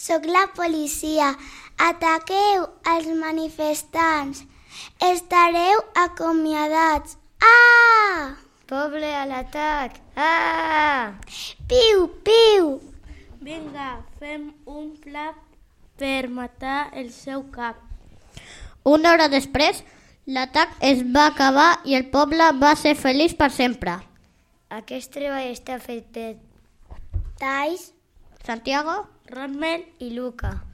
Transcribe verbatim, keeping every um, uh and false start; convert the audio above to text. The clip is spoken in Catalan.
Soc la policia. Ataqueu els manifestants. Estareu acomiadats. Ah! Poble a l'atac! Ah! Piu, piu! Vinga, fem un pla per matar el seu cap. Una hora després, l'atac es va acabar i el poble va ser feliç per sempre. Aquest treball està fet per Thais, Santiago Rommel i Luca.